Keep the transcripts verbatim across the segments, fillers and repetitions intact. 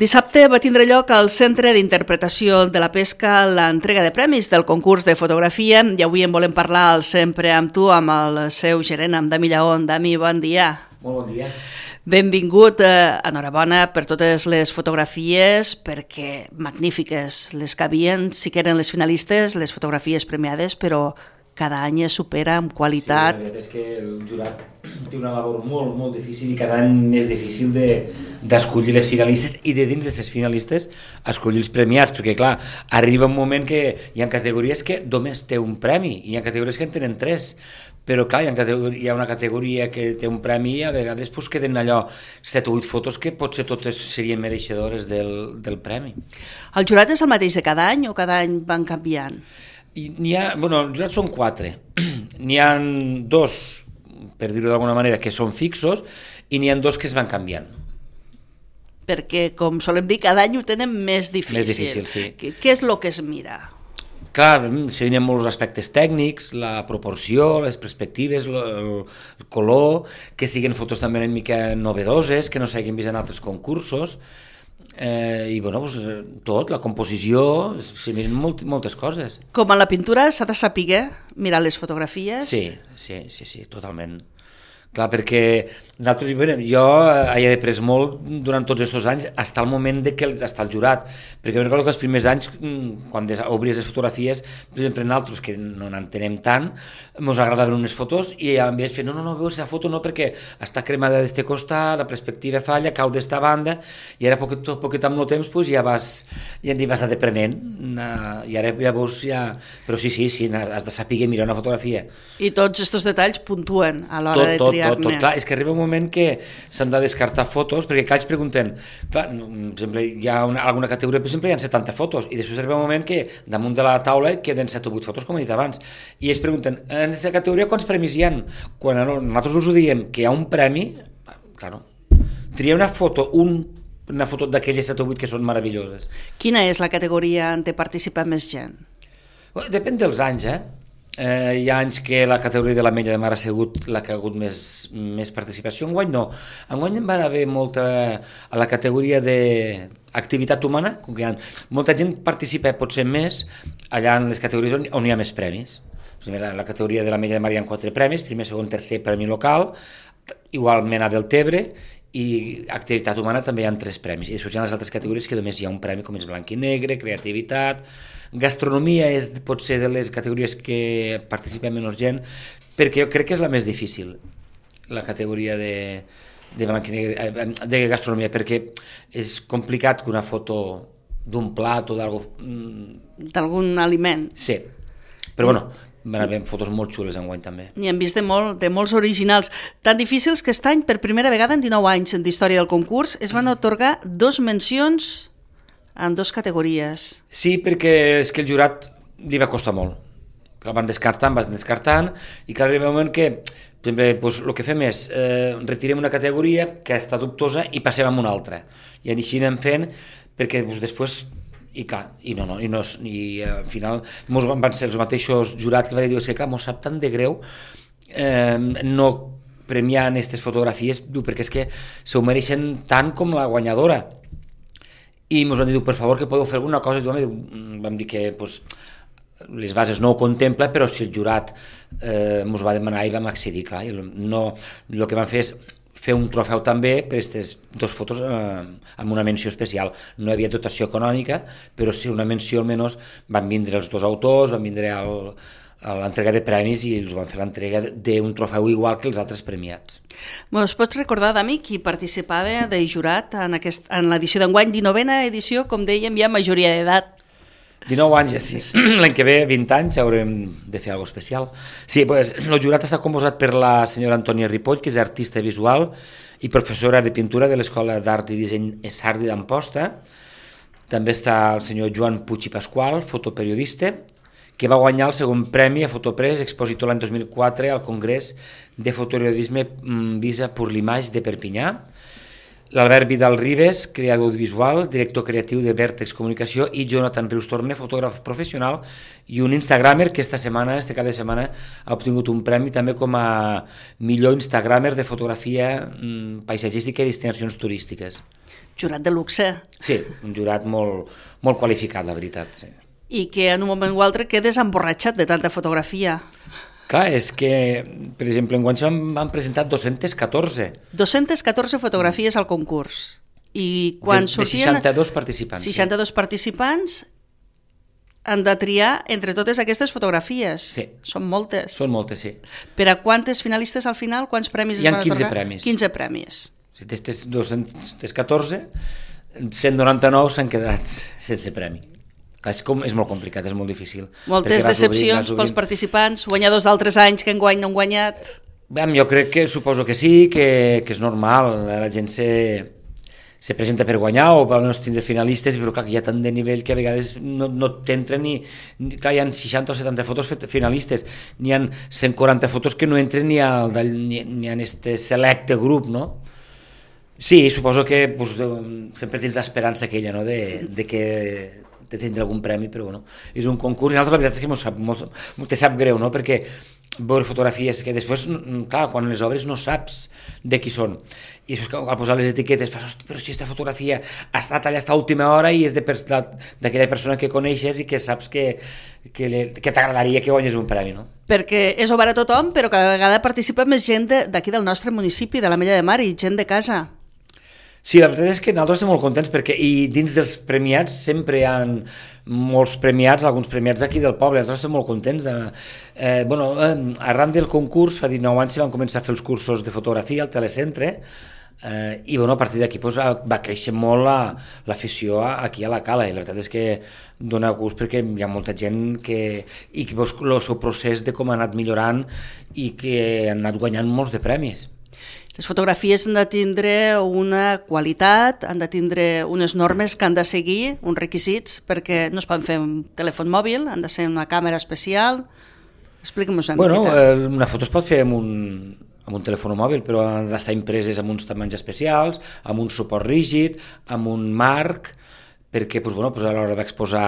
Dissabte va tindre lloc al Centre d'Interpretació de la Pesca l'entrega de premis del concurs de fotografia i avui en volem parlar al Sempre amb tu, amb el seu gerent, amb Dami Lleón. Dami, bon dia. Molt bon dia. Benvingut, eh, enhorabona per totes les fotografies, perquè magnífiques les que havien, sí que eren les finalistes, les fotografies premiades, però cada any es supera amb qualitat. Sí, la veritat és que el jurat té una labor molt, molt difícil i cada any més difícil d'escollir de, les finalistes i de dins d'aquestes finalistes escollir els premiats, perquè clar, arriba un moment que hi ha categories que només té un premi i hi ha categories que en tenen tres, però clar, hi ha, hi ha una categoria que té un premi i a vegades pues, queden allò set o vuit fotos que potser totes serien mereixedores del, del premi. El jurat és el mateix de cada any o cada any van canviant? I n'hi ha, bueno, els jurats són quatre, n'hi ha dos, per dir-ho d'alguna manera, que són fixos i n'hi ha dos que es van canviant. Perquè, com solem dir, cada any ho tenen més difícil. Més difícil, sí. Què, què és el que es mira? Clar, se venen molts aspectes tècnics, la proporció, les perspectives, el, el color, que siguin fotos també una mica novedoses, que no s'hagin vist en altres concursos, Eh, i bueno, pues, tot, la composició, s'hi miren molt, moltes coses. Com en la pintura s'ha de saber mirar les fotografies? Sí, sí, sí, sí, totalment. Clar, perquè nosaltres, bueno, jo he après molt durant tots aquests anys, fins al moment de que està el jurat, perquè recordo que els primers anys, quan obries les fotografies, per exemple, nosaltres, que no n'entenem tant, ens agradaven unes fotos i em vaig fer, no, no, no, veus la foto no, perquè està cremada d'este costat, la perspectiva falla, cau d'esta banda, i ara poquet, poquet amb el temps pues, ja vas, ja n'hi vas adeprenent, i ara ja veus, ja... però sí, sí, sí, has de saber mirar una fotografia. I tots aquests detalls puntuen a l'hora de triar. Tot, tot, clar, és que arriba un moment que s'han de descartar fotos, perquè clar, ells pregunten, clar, per exemple, hi ha una, alguna categoria, per exemple, hi ha setanta fotos, i després arriba un moment que damunt de la taula queden set o vuit fotos, com he dit abans, i ells pregunten, en aquesta categoria quants premis hi ha? Quan nosaltres us ho diem que hi ha un premi, clar, triar una foto, un, una foto d'aquelles set o vuit que són meravelloses. Quina és la categoria on té participat més gent? Bueno, depèn dels anys, eh? Eh, hi ha anys que la categoria de l'Ametlla de Mar ha sigut la que ha hagut més, més participació. Enguany no. Enguany en va haver molta... A la categoria d'activitat humana, com que hi ha, molta gent participa potser més allà en les categories on, on hi ha més premis. La, la categoria de l'Ametlla de Mar hi ha quatre premis, primer, segon, tercer premi local, igualment a Deltebre, i activitat humana també hi ha tres premis. I després hi ha les altres categories que només hi ha un premi, com és blanc i negre, creativitat... Gastronomia és potser de les categories que participa menys gent, perquè jo crec que és la més difícil, la categoria de, de, blanc i negre, de gastronomia, perquè és complicat que una foto d'un plat o d'algo... D'algun aliment. Sí, però bueno, van haver fotos molt xules enguany també. I hem vist de, molt, de molts originals, tan difícils que aquest any, per primera vegada en dinou anys d'història del concurs, es van atorgar dos mencions en dues categories. Sí, perquè és que el jurat li va costar molt. El van descartant, van descartant, i clar, arriba un moment que, per exemple, doncs, el que fem és, eh, retirem una categoria que està dubtosa i passem a una altra. I així anem fent, perquè doncs, després, i clar, i no, no, i, no, i al final mos van ser els mateixos jurats que va dir, que clar, mos sap tan de greu eh, no premiar aquestes fotografies, perquè és que se ho mereixen tant com la guanyadora. I ens van dir, per favor, que podeu fer alguna cosa, i vam dir que pues, les bases no ho contempla, però si el jurat eh, ens va demanar i vam accedir, clar, no, el que vam fer és fer un trofeu també per aquestes dues fotos eh, amb una menció especial. No hi havia dotació econòmica, però sí una menció almenys van vindre els dos autors, van vindre el, l'entrega de premis i els van fer l'entrega d'un trofeu igual que els altres premiats. Ens pots recordar, Dami, qui participava de jurat en, aquest, en l'edició d'enguany, dinovena edició, com dèiem, ja majoria d'edat? dinou anys, ja sí. L'any que ve, vint anys, haurem de fer alguna especial. Sí, pues, el jurat està composat per la senyora Antònia Ripoll, que és artista visual i professora de pintura de l'Escola d'Art i Disseny Sardi d'Amposta. També està el senyor Joan Puig i Pasqual, fotoperiodista, que va guanyar el segon premi a Fotopress, expositor l'any dos mil quatre al Congrés de Fotoperiodisme Visa per l'Image de Perpinyà. L'Albert Vidal Ribes, creador audiovisual, director creatiu de Vèrtex Comunicació, i Jonathan Rius Torne, fotògraf professional i un instagramer que esta setmana, este cap de setmana, ha obtingut un premi també com a millor instagramer de fotografia paisatgística i destinacions turístiques. Jurat de luxe. Sí, un jurat molt, molt qualificat, la veritat. Sí. I que en un moment o altre quedes emborratxat de tanta fotografia. Clar, és que, per exemple, enguany s'han presentat dos-centes catorze. dos-centes catorze fotografies al concurs. I quan de, sortien... De seixanta-dos participants. seixanta-dos sí. participants han de triar entre totes aquestes fotografies. Sí. Són moltes. Són moltes, sí. Per a quantes finalistes al final? Quants premis es van atorgar? Hi ha quinze premis. quinze premis. Si testes dos-centes catorze, cent noranta-nou s'han quedat sense premi. És, com, és molt complicat, és molt difícil. Moltes decepcions obrint, pels participants, guanyadors d'altres anys que enguany no han guanyat. Bé, jo crec que, suposo que sí, que, que és normal, la gent se, se presenta per guanyar o per no tindre finalistes, però clar, hi ha tant de nivell que a vegades no, no t'entren ni, ni... Clar, hi ha seixanta o setanta fotos finalistes, n'hi ha cent quaranta fotos que no entren ni, al, ni, ni en este selecte grup, no? Sí, suposo que pues, sempre tens l'esperança aquella, no?, de, de que de tindre algun premi, però bueno, és un concurs i nosaltres la veritat és que m'ho sap, molt, te sap greu, no?, perquè veure fotografies que després, clar, quan les obres no saps de qui són, i després al posar les etiquetes fas, hosti, però si aquesta fotografia ha estat allà a última hora i és d'aquella persona que coneixes i que saps que, que, que t'agradaria que guanyes un premi, no? Perquè és obert a tothom, però cada vegada participa més gent d'aquí del nostre municipi, de l'Ametlla de Mar, i gent de casa. Sí, la veritat és que nosaltres estem molt contents perquè i dins dels premiats sempre hi ha molts premiats, alguns premiats d'aquí del poble, nosaltres estem molt contents. De, eh, bueno, eh, arran del concurs, fa dinou anys van començar a fer els cursos de fotografia al telecentre eh, i bueno, a partir d'aquí pues, va, va créixer molt l'afició la, aquí a la Cala i la veritat és que dona gust perquè hi ha molta gent que, i que veus el seu procés de com ha anat millorant i que han anat guanyant molts de premis. Les fotografies han de tindre una qualitat, han de tindre unes normes que han de seguir, uns requisits, perquè no es poden fer un telèfon mòbil, han de ser una càmera especial. Explica'm-ho una bueno, miqueta. Eh, una foto es pot fer amb un, amb un telèfon mòbil, però han d'estar impreses amb uns tamanys especials, amb un suport rígid, amb un marc, perquè pues, bueno, pues, a l'hora d'exposar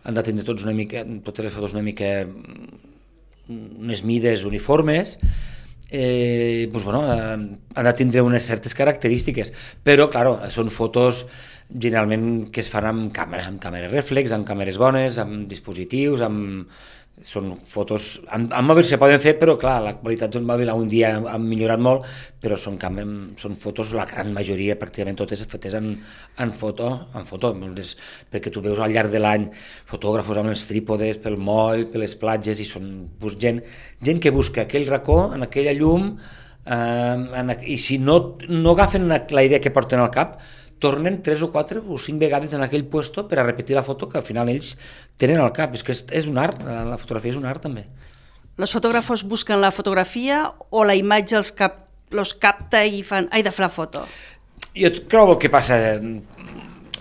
han de tindre tots una mica, totes les fotos una mica unes mides uniformes, Eh, pues bueno, han de tindre unes certes característiques, però, claro, són fotos generalment que es fan amb càmera, amb càmeres reflex, amb càmeres bones, amb dispositius, amb... són fotos... Amb, amb mòbil se poden fer, però, clar, la qualitat d'un mòbil un dia ha millorat molt, però són, són fotos, la gran majoria, pràcticament totes, fetes en, en foto, en foto les, perquè tu veus al llarg de l'any fotògrafos amb els trípodes, pel moll, per les platges, i són pues, gent, gent que busca aquell racó, en aquella llum, eh, en, i si no, no agafen la idea que porten al cap, tornen tres o quatre o cinc vegades en aquell puesto per a repetir la foto que al final ells tenen al cap. És que és, és un art, la fotografia és un art també. Els fotògrafos busquen la fotografia o la imatge els, cap, els capta i fan, ai, de fer la foto? Jo trobo que passa,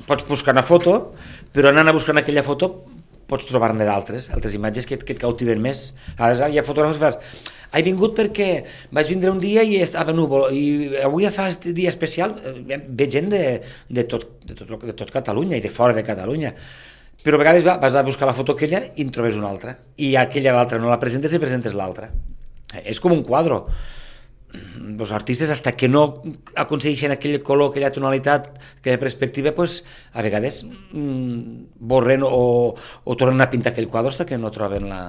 pots buscar una foto, però anant a buscar aquella foto pots trobar-ne d'altres, altres imatges que, que et cautiven més. Aleshores, hi ha fotògrafs que fas, he vingut perquè vaig vindre un dia i estava núvol, i avui fa aquest dia especial, ve gent de, de, tot, de, tot, de tot Catalunya i de fora de Catalunya, però a vegades va, vas a buscar la foto aquella i en trobes una altra, i aquella l'altra no la presentes i presentes l'altra. És com un quadre. Els artistes, hasta que no aconsegueixen aquell color, aquella tonalitat, aquella perspectiva, pues, a vegades mmm, borren o, o tornen a pintar aquell quadre hasta que no troben la,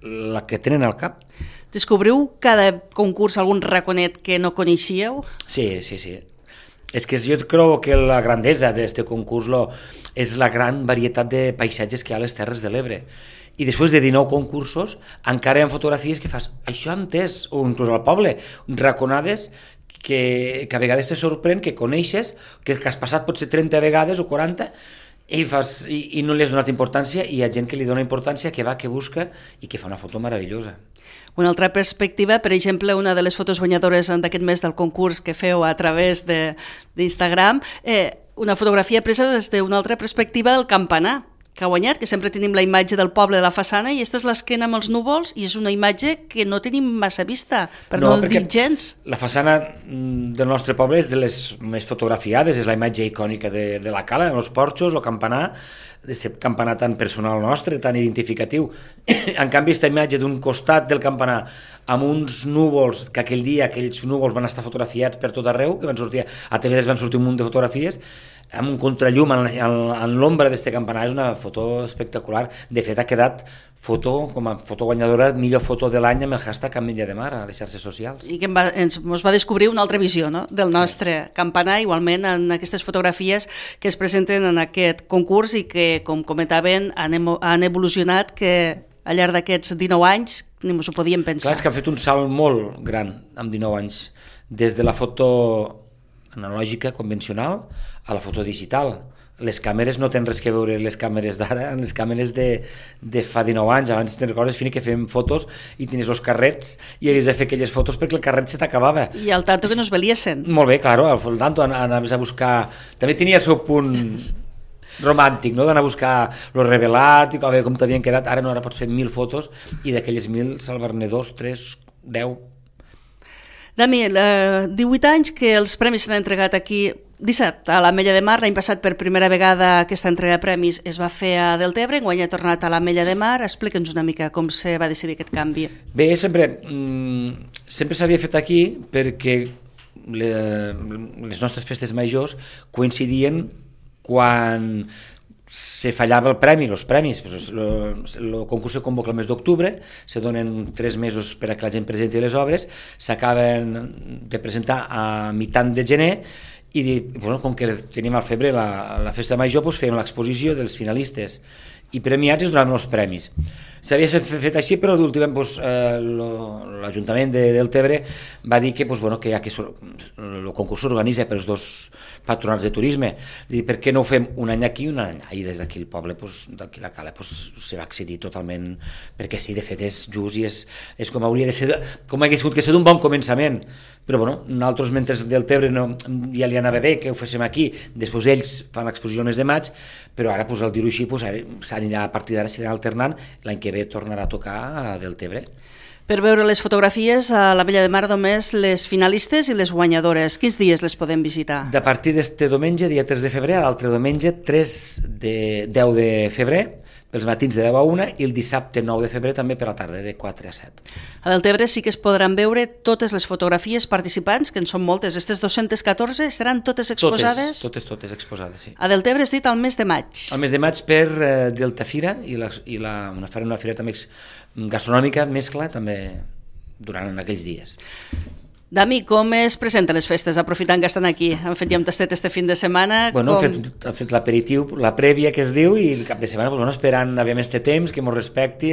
la que tenen al cap. Descobriu cada concurs algun raconet que no coneixíeu? Sí, sí, sí. És que jo crec que la grandesa d'aquest concurs lo, és la gran varietat de paisatges que hi ha a les Terres de l'Ebre. I després de dinou concursos encara hi ha fotografies que fas, això entès, o inclús al poble, raconades que, que a vegades te sorprèn, que coneixes, que, que has passat potser trenta vegades o quaranta, i, fas, i, i no li has donat importància, i hi ha gent que li dona importància, que va, que busca, i que fa una foto meravellosa. Una altra perspectiva, per exemple, una de les fotos guanyadores d'aquest mes del concurs que feu a través d'Instagram, eh, una fotografia presa des d'una altra perspectiva del campanar, que ha guanyat, que sempre tenim la imatge del poble de la façana i aquesta és l'esquena amb els núvols i és una imatge que no tenim massa vista, per no, no dir gens. La façana del nostre poble és de les més fotografiades, és la imatge icònica de, de la cala, els porxos, el campanar, aquest campanar tan personal nostre, tan identificatiu. En canvi, aquesta imatge d'un costat del campanar amb uns núvols, que aquell dia aquells núvols van estar fotografiats per tot arreu, que van sortir, a T V van sortir un munt de fotografies, amb un contrallum en, en, en l'ombra d'aquest campanar, és una foto espectacular. De fet, ha quedat foto, com a foto guanyadora, millor foto de l'any amb el hashtag Ametlla de Mar a les xarxes socials. I que va, ens, ens va descobrir una altra visió, no?, del nostre sí. campanar, igualment en aquestes fotografies que es presenten en aquest concurs i que, com comentaven, han, han evolucionat, que al llarg d'aquests dinou anys ni ens ho podíem pensar. Clar, és que han fet un salt molt gran amb dinou anys, des de la foto analògica convencional a la foto digital. Les càmeres no tenen res que veure les càmeres d'ara, les càmeres de, de fa dinou anys. Abans te'n recordes, Fini, que fèiem fotos i tenies els carrets i havies de fer aquelles fotos perquè el carret se t'acabava. I al tanto que no es veliesen. Molt bé, claro, al tanto anaves a buscar... També tenia el seu punt romàntic, no?, d'anar a buscar lo revelat i a veure com t'havien quedat. Ara no, ara pots fer mil fotos i d'aquelles mil salvar-ne dos, tres, deu. Dami, eh, divuit anys que els premis s'han entregat aquí, disset a l'Ametlla de Mar. L'any passat, per primera vegada, aquesta entrega de premis es va fer a Deltebre, enguany ha tornat a l'Ametlla de Mar. Explica'ns una mica com se va decidir aquest canvi. Bé, sempre, mm, sempre s'havia fet aquí perquè le, les nostres festes majors coincidien quan se fallava el premi, els premis. El concurs se convoca el mes d'octubre, se donen tres mesos per a que la gent presenti les obres, s'acaben de presentar a mitant de gener i, bueno, com que teníem al febrer la, la festa major, doncs fèiem l'exposició dels finalistes i premiats i es donaven els premis. S'havia fet així, però últimament doncs, eh, l'Ajuntament de Deltebre va dir que, doncs, bueno, que ja que el concurs s'organitza pels dos patronats de turisme, dir, per què no ho fem un any aquí i un any allà? I des d'aquí el poble, doncs, d'aquí la Cala, doncs, se va accedir totalment, perquè sí, de fet és just i és, és com hauria de ser, com hagués hagut que ser d'un bon començament. Però bueno, nosaltres mentre Deltebre no, ja li anava bé que ho féssim aquí, després ells fan l'exposició el mes de maig, però ara, pues, al dir-ho així, pues, s'anirà, a partir d'ara s'anirà alternant, l'any que ve tornarà a tocar a Deltebre. Per veure les fotografies a l'Ametlla de Mar només les finalistes i les guanyadores. Quins dies les podem visitar? De partir d'este diumenge, dia tres de febrer, a l'altre diumenge, tres de deu de febrer, pels matins de deu a una, i el dissabte nou de febrer també per la tarda, de quatre a set. A Deltebre sí que es podran veure totes les fotografies participants, que en són moltes. Aquestes dos-centes catorze estaran totes exposades? Totes, totes, totes exposades, sí. A Deltebre has dit al mes de maig. Al mes de maig per eh, Deltafira i, la, i la, una, una fira també gastronòmica mescla també durant aquells dies. Dami, com es presenten les festes, aprofitant que estan aquí? Han fet ja un tastet este fin de setmana? Bueno, com... han fet, han fet l'aperitiu, la prèvia que es diu, i el cap de setmana, pues, bueno, esperant aviam este temps, que mos respecti,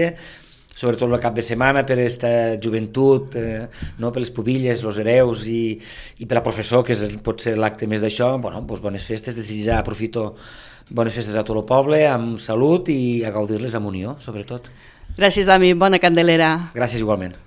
sobretot el cap de setmana per aquesta joventut, eh, no? Per les pubilles, els hereus i, i per a professor, que és, pot ser l'acte més d'això. Bueno, pues, bones festes, desitjar, aprofito bones festes a tot el poble, amb salut i a gaudir-les amb unió, sobretot. Gràcies, Dami, bona candelera. Gràcies igualment.